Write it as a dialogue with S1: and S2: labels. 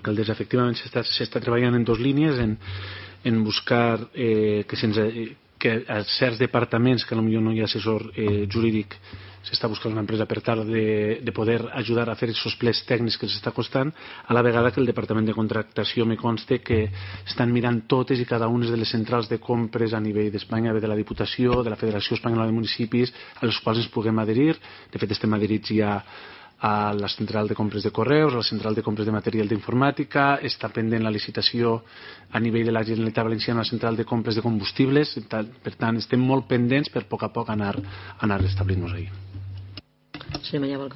S1: alcaldessa, efectivament s'està treballant en dues línies, en buscar que a certs departaments que potser no hi ha assessor jurídic s'està buscant una empresa per tal de poder ajudar a fer aquests plets tècnics que s'està costant, a la vegada que el departament de contractació me consta que estan mirant totes i cada una de les centrals de compres a nivell d'Espanya, de la Diputació, de la Federació Espanyola de Municipis, a les quals ens puguem adherir. De fet, estem adherits ja a la central de compres de correus, a la central de compres de material d'informàtica, està pendent la licitació a nivell de la Generalitat Valenciana a la central de compres de combustibles, per tant estem molt pendents per a poc anar establint-nos ahí.
S2: Senyor Mallà, vol